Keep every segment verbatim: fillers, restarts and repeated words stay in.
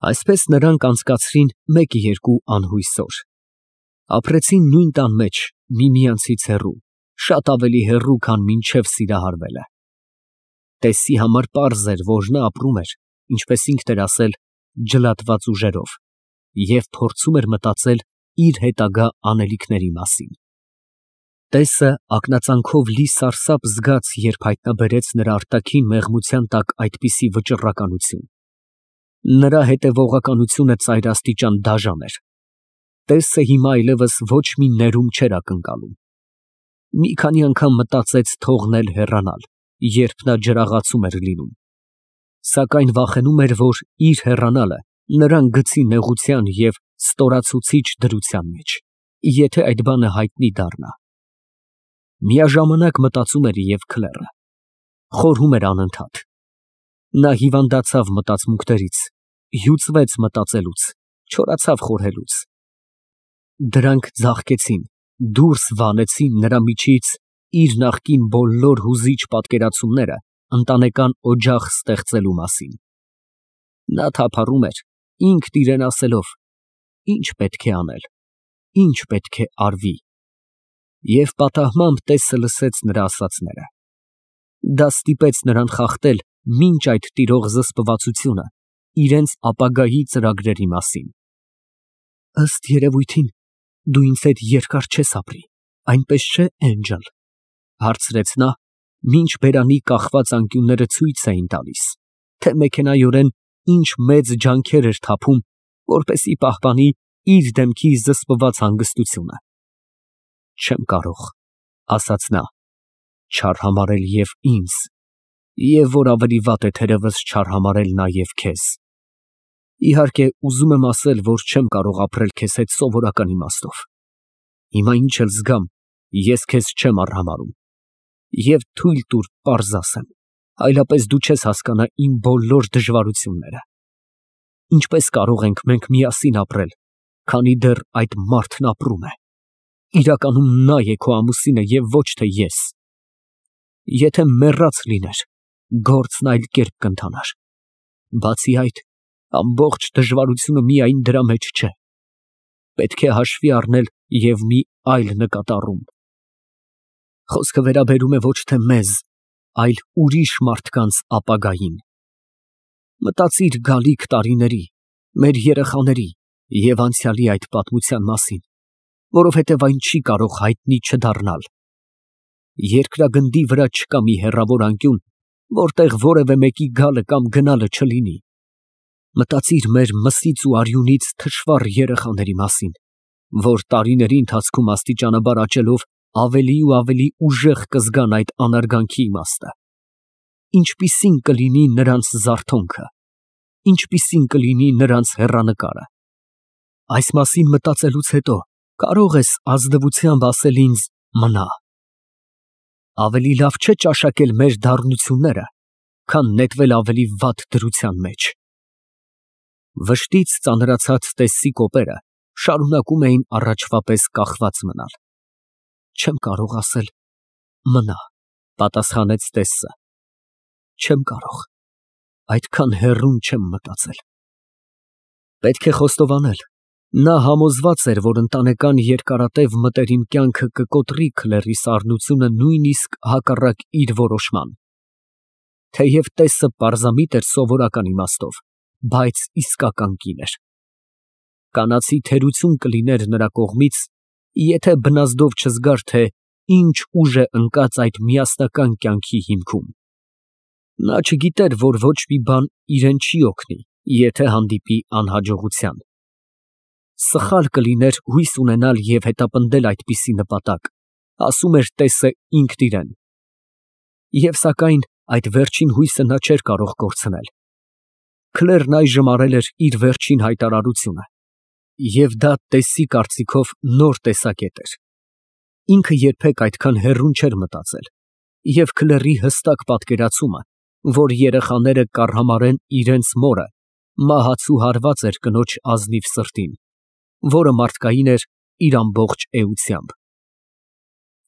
Այսպես նրանք անցկացրին մեկ֊երկու անհույս օր, ապրեցին նույն տան մեջ, միմյանցից հեռու, շատ ավելի հեռու, քան մինչև սիրահարվելը։ Տեսսի համար պարզ էր, որ նա ապրում էր, ինչպես ինքն էր ասել, ջլատված ուժերով և փորձում էր մտածել իր հետագա անելիքների մասին։ Տեսը ակնածանքով լի սարսափ զգաց, երբ հայտնաբերեց նրա արտաքին մեղմության տակ այդպիսի վճռականություն։ Նրա հետևողականությունը ծայրաստիճան դաժան էր։ Տեսը հիմա այլևս ոչ մի ներում չէր ակնկալում։ Մի քանի անգամ մտածեց թողնել հեռանալ, երբ նա ջրաղացում էր լինում, սակայն վախենում էր, որ իր հեռանալը նրան գցի նեղության և ստորացուցիչ դրության մեջ, եթե այդ բանը հայտնի դառնա։ Միաժամանակ մտածում էր և Քլեռը, խորհում էր անընդհատ։ Նա հիվանդացավ մտածմունքներից, հյուծվեց մտածելուց, չորացավ խորհելուց։ Դրանք ձաղկեցին, դուրս վանեցին նրա միջից իր նախկին բոլոր հուզիչ պատկերացումները ընտանեկան օջախ ստեղծելու մասին։ Նա թափառում էր, ինքն իրան ասելով. «Ի՞նչ պետք է անել, ի՞նչ պետք է արվի»։ Եվ պատահմամբ Տեսը լսեց նրա ասածները։ Դա ստիպեց նրան խախտել մինչ այդ տիրող զսպվածությունը իրենց ապագայի ծրագրերի մասին։ «Ըստ երևույթին, դու ինձ հետ երկար չես ապրի, այնպես չէ՞, Էնջլ», ֊ հարցրեց նա, մինչ բերանի կախված անկյունները ցույց էին տալիս, թե մեքենայորեն ինչ մեծ ջանքեր էր թափում, որպեսզի պահպանի իր դեմքի զսպված հանգստությունը։ «Չեմ կարող», ֊ ասաց նա, ֊ «չարհամարել և ինձ, և որ ավելի վատ է թերևս չարհամարել նաև քեզ։ Իհարկե, ուզում եմ ասել, որ չեմ կարող ապրել քեզ հետ սովորական իմաստով։ Հիմա ինչ էլ զգամ, ես քեզ չեմ արհամարհում։ Եվ թույլ տուր պարզ ասեմ, այլապես դու չես հասկանա իմ բոլոր դժվարությունները։ Ինչպես կարող ենք մենք միասին ապրել, քանի դեռ այդ մարդն ապրում է։ Իրականում նա է քո ամուսինը և ոչ թե ես։ Եթե մեռած լիներ, գործն այլ կերպ կընթանար։ Բացի այդ, ամբողջ դժվարությունը միայն դրա մեջ չէ։ Պետք է հաշվի առնել և մի այլ նկատառում։ Խոսքը վերաբերում է ոչ թե մեզ, այլ ուրիշ մարդկանց ապագային։ Մտածիր գալիք տարիների, մեր երեխաների և անցյալի այդ պատմության մասին, որովհետև այն չի կարող հայտնի չդառնալ։ Երկրագնդի վրա չկա մի հեռավոր անկյուն, որտեղ որևէ մեկի գալը կամ գնալը չլինի։ Մտածիր մեր մսից ու արյունից թշվառ երեխաների մասին, որ տարիների ընթացքում աստիճանաբար աճելով ավելի ու ավելի ուժեղ կզգան այդ անարգանքի իմաստը։ Ինչպիսին կլինի նրանց զարթոնքը, ինչպիսին կլինի նրանց հեռանկարը։ Այս մասին մտածելուց հետո կարող ես ազնվությամբ ասել ինձ. «Մնա»։ Ավելի լավ չէ ճաշակել մեր դառնությունները, քան նետվել ավելի վատ դրության մեջ։ Վշտից ծանրացած Տեսսի կոպերը շարունակում էին առաջվա պես կախված մնալ։ «Չեմ կարող ասել մնա», ֊ պատասխանեց Տեսսը։ «Չեմ կարող, այդքան հեռուն չեմ մտածել»։ Պետք է խոստովանել, նա համոզված էր, որ ընտանեկան երկարատև մտերիմ կյանքը կկոտրի Քլերի սառնությունը նույնիսկ հակառակ իր որոշման։ Թեև Տեսսը պարզամիտ էր սովորական իմաստով, բայց իսկական կին էր։ Կանացի թերություն կլիներ նրա կողմից, եթե բնազդով չզգար, թե ինչ ուժ է ընկած այդ միասնական կյանքի հիմքում։ Նա չգիտեր, որ ոչ մի բան իրեն չի օգնի, եթե հանդիպի անհաջողության։ Սխալ կլիներ հույս ունենալ և հետապնդել այդպիսի նպատակ, ասում էր Տեսսը ինքն իրան։ Եվ սակայն այդ վերջին հույսը նա չէր կարող կորցնել։ Քլերն այժմ արել էր իր վերջին հայտարարությունը, և դա Տեսսի կարծիքով նոր տեսակետ էր։ Ինքը երբեք այդքան հեռուն չէր մտածել, և Քլերի հստակ պատկերացումը, որ երեխաները կառհամարեն իրենց մորը, մահացու հարված էր կնոջ ազնիվ սրտին, որը մարդկային էր իր ամբողջ էությամբ։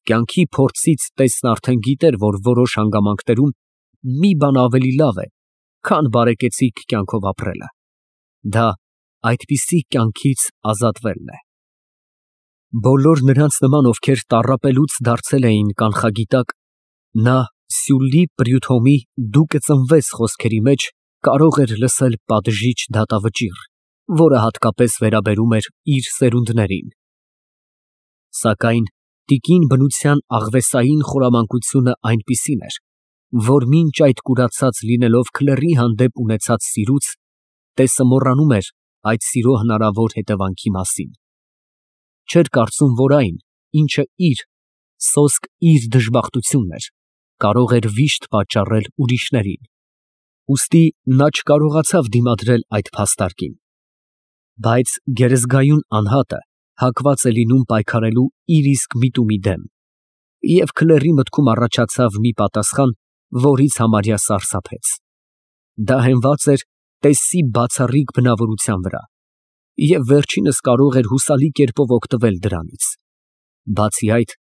Կյանքի փորձից Տեսսն արդեն գիտեր, որ որոշ հանգամանքներում մի բան ավելի լավ է, քան բարեկեցիկ կյանքով ապրելը։ Դա այդպիսի կյանքից ազատվելն է։ Բոլոր նրանց նման, ովքեր տառապելուց դարձել էին կանխագիտակ, նա Սյուլլի Պրյուդհոմի «դու կծնվես» խոսքերի մեջ կարող էր լսել պատժիչ դատավճիռ, որը հատկապես վերաբերում էր իր սերունդներին։ Սակայն տիկին բնության աղվեսային խորամանկությունը այնպիսին էր, որ մինչ այդ կուրացած լինելով քլերի հանդեպ ունեցած սիրուց, տեսը մոռանում էր այդ սիրո հնարավոր հետևանքի մասին։ Չէր կարծում, որ այն, ինչը իր, սոսկ իր դժբախտությունն էր, կարող էր վիշտ պատճառել ուրիշներին, ուստի նա չկարողացավ դիմադրել այդ փաստարկին։ Բայց գերեզգայուն անհատը հակված է լինում պայքարելու իր իսկ միտումի դեմ, և քլերի մտքում առաջացավ մի պատասխան, որից համարյա սարսափեց։ Դա հենված էր տեսի բացառիկ բնավորության վրա, և վերջինս կարող էր հուսալի կերպով օգտվել դրանից։ Բացի այդ,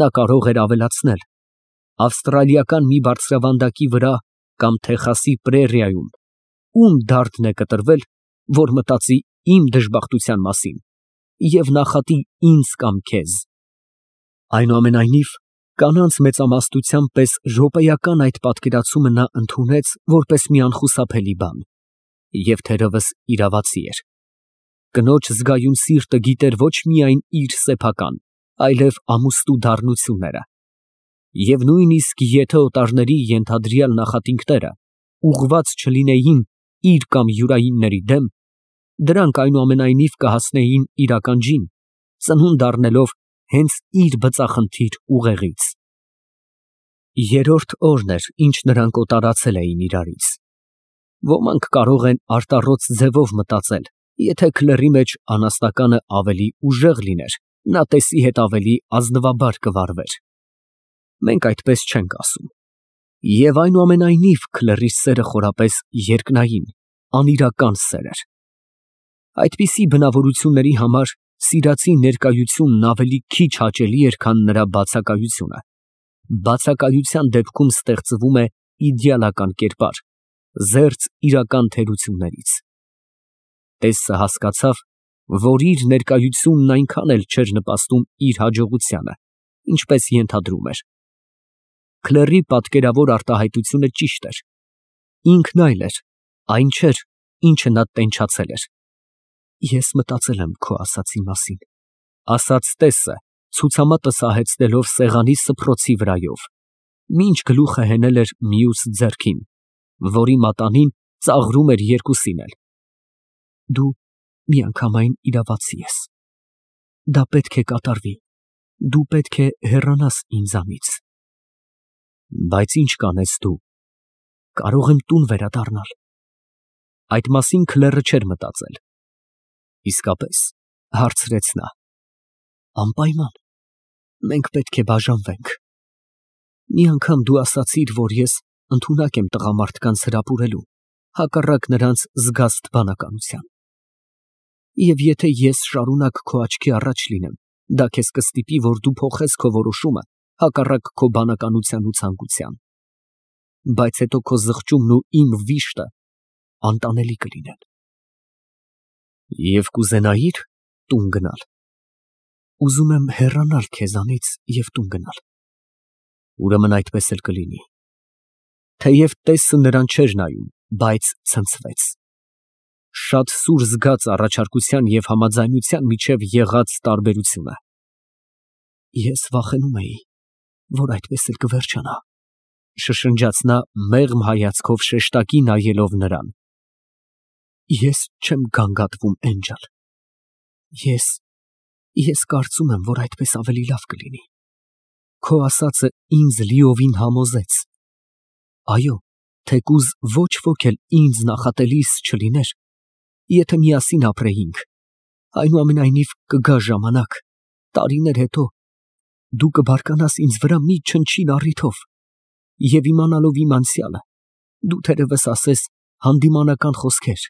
նա կարող էր ավելացնել. ավստրալիական մի բարձրավանդակի վրա կամ Թեխասի պրերիայում ում դարդն է կտրվել, որ մտածի իմ դժբախտության մասին և նախատի ինձ կամ քեզ։ Այնուամենայնիվ, կանանց մեծամասնության պես րոպեական այդ պատկերացումը նա ընդունեց որպես մի անխուսափելի բան և թերևս իրավացի էր։ Կնոջ զգայուն սիրտը գիտեր ոչ միայն իր սեփական, այլև ամուստու դառնությունները, և նույնիսկ եթե օտարների ենթադրյալ նախատինքները ուղղված չլինեին իր կամ յուրայինների դեմ, դրանք այնուամենայնիվ կհասնեին իրականջին, ծնունդ առնելով հենց իր բծախնդիր ուղեղից։ Երրորդ օրն էր, ինչ նրանք օտարացել էին իրարից։ Ոմանք կարող են արտառոց ձևով մտածել, եթե քլերի մեջ անասնականը ավելի ուժեղ լիներ, նա տեսի հետ ավելի ազնվաբար կվարվեր։ Մենք այդպես չենք ասում։ Եվ այնուամենայնիվ քլերի սերը խորապես երկնային, անիրական սեր էր։ Այդպիսի բնավորությունների համար սիրածի ներկայությունն ավելի քիչ հաճելի էր, քան նրա բացակայությունը։ Բացակայության դեպքում ստեղծվում է իդեալական կերպար, զերծ իրական թերություններից։ Տեսը հասկացավ, որ իր ներկայությունն այնքան էլ չէր նպաստում իր հաջողությանը, ինչպես ենթադրում էր։ Քլերի պատկերավոր արտահայտությունը ճիշտ էր։ Ինքն այլ էր, այն չէր, ինչը նա տենչացել էր։ Ես մտածել եմ քո ասածի մասին, ասաց տեսը, ցուցամատը սահեցնելով սեղանի սփռոցի վրայով, մինչ գլուխը հենել էր մյուս ձեռքին, որի մատանին ծաղրում էր երկուսին էլ։ Դու միանգամայն իրավացի ես։ Դա պետք է կատարվի, դու պետք է հեռանաս ինձանից։ Բայց ինչ կանես դու, կարող եմ տուն վերադառնալ։ Այդ մասին քլերը չէր մտածել։ Իսկապես, հարցրեց նա։ Անպայման, մենք պետք է բաժանվենք։ Մի անգամ դու ասացիր, որ ես ընդունակ եմ տղամարդկանց հրապուրելու, հակառակ նրանց զգաստ բանականության։ Եվ եթե ես շարունակ քո աչքի առաջ լինեմ, դա քեզ կստիպի, որ դու փոխես քո որոշումը, հակառակ քո բանականության ու ցանկության։ Բայց հետո քո զղջումն ու իմ վիշտը անտանելի կլինեն։ Եվ կուզենայի՞ր տուն գնալ։ Ուզում եմ հեռանալ քեզանից և տուն գնալ։ Ուրեմն այդպես էլ կլինի։ Թեև տեսը նրան չէր նայում, բայց ցնցվեց։ Շատ սուր զգաց առաջարկության և համաձայնության միջև եղած տարբերությունը։ Ես վախենում էի, որ այդպես էլ կվերջանա, շշնջաց նա մեղմ հայացքով շեշտակի նայելով նրան։ Ես չեմ գանգատվում, Էնջել։ Ես… ես կարծում եմ, որ այդպես ավելի լավ կլինի։ Քո ասածը ինձ լիովին համոզեց։ Այո, թեկուզ ոչ ոք էլ ինձ նախատելիս չլիներ, եթե միասին ապրեինք, այնուամենայնիվ կգա ժամանակ, տարիներ հետո, դու կբարկանաս ինձ վրա մի չնչին առիթով, և իմանալով իմ անցյալը, դու թերևս ասես հանդիմանական խոսքեր,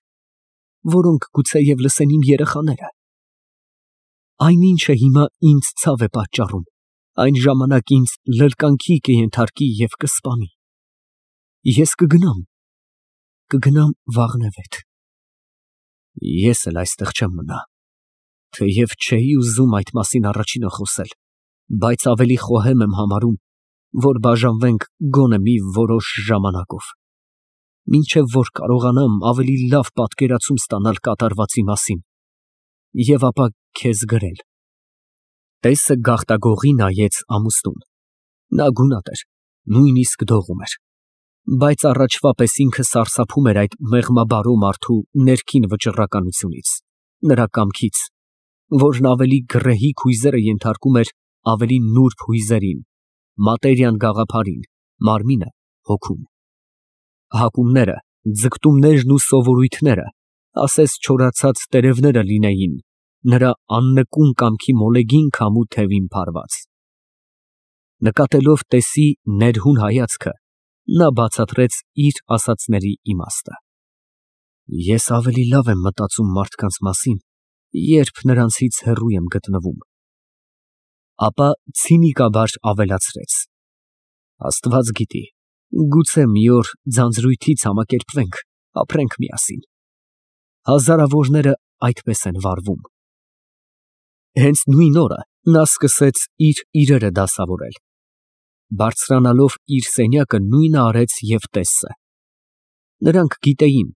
որոնք գուցեև լսեն իմ երեխաները։ Այն ինչը հիմա ինձ ցավ է պատճառում, այն ժամանակ ինձ լրկանքի կենթարկի և կսպանի։ Ես կգնամ, կգնամ վաղնևեթ։ Ես էլ այստեղ չեմ մնա, թեև չէի ուզում այդ մասին առաջինը խոսել, բայց ավելի խոհեմ եմ համարում, որ բաժանվենք գոնե մի որոշ ժամանակով, մինչև որ կարողանամ ավելի լավ պատկերացում ստանալ կատարվածի մասին և ապա քեզ գրել։ Տեսը գաղտագողի նայեց ամուսնուն, նա գունատ էր, նույնիսկ դողում էր, բայց առաջվա պես ինքը սարսափում էր այդ մեղմաբարո մարդու ներքին վճռականությունից, նրա կամքից, որն ավելի գռեհիկ հույզերը ենթարկում էր ավելի նուրբ հույզերին, մատերիան գաղափարին, մարմինը հոգուն։ Հակումները, ձգտումներն ու սովորույթները, ասես չորացած տերևները լինեին, նրա աննկուն կամքի մոլեգին քամու թևին փարված։ Նկատելով տեսի ներհուն հայացքը, նա բացատրեց իր ասածների իմաստը։ Ես ավելի լավ եմ մտածում մարդկանց մասին, երբ նրանցից հեռու եմ գտնվում։ Ապա ցինիկաբար ավելացրեց. Աստված գիտի, գուցե մի օր ձանձրույթից համակերպվենք, ապրենք միասին։ Հազարավորները այդպես են վարվում։ Հենց նույն օրը նա սկսեց իր իրերը դասավորել։ Բարձրանալով իր սենյակը նույնը արեց և տեսը։ Նրանք գիտեին,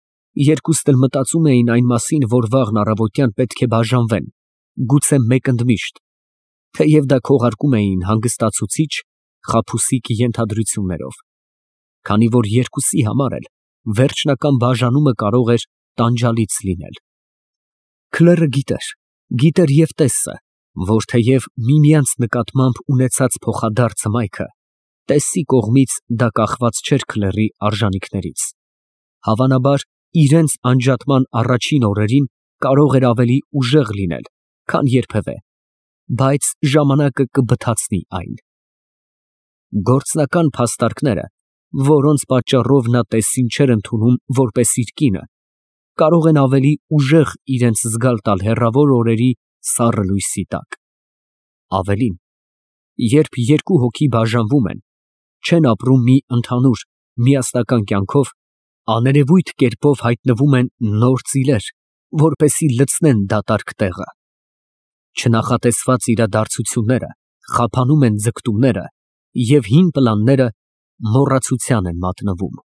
երկուստ էլ մտածում էին այն մասին, որ վաղն առավոտյան պետք է բաժանվեն, գուցե մեկ ընդմիշտ, թեև դա քողարկում էին հանգստացուցիչ, խաբուսիկ ենթադրություններով, քանի որ երկուսի համար էլ վերջնական բաժանումը կարող էր տանջալից լինել։ Քլերը գիտեր, գիտեր և տեսը, որ թեև միմյանց նկատմամբ ունեցած փոխադարձ հմայքը, տեսի կողմից դա կախված չէր քլերի արժանիքներից։ Հավանաբար, իրենց անջատման առաջին օրերին կարող էր ավելի ուժեղ լինել, քան երբևէ, բայց ժամանակը կբթացնի այն։ Գործնական փաստարկները, որոնց պատճառով նա տեսին չէր ընդունում որպես իր կինը, կարող են ավելի ուժեղ իրենց զգալ տալ հեռավոր օրերի սառը լույսի տակ։ Ավելին, երբ երկու հոգի բաժանվում են, չեն ապրում մի ընդհանուր միասնական կյանքով, աներևույթ կերպով հայտնվում են նոր ծիլեր, որպեսզի լցնեն դատարկ տեղը։ Չնախատեսված իրադարձությունները խափանում են ձգտումները և հին պլանները մոռացության են մատնվում։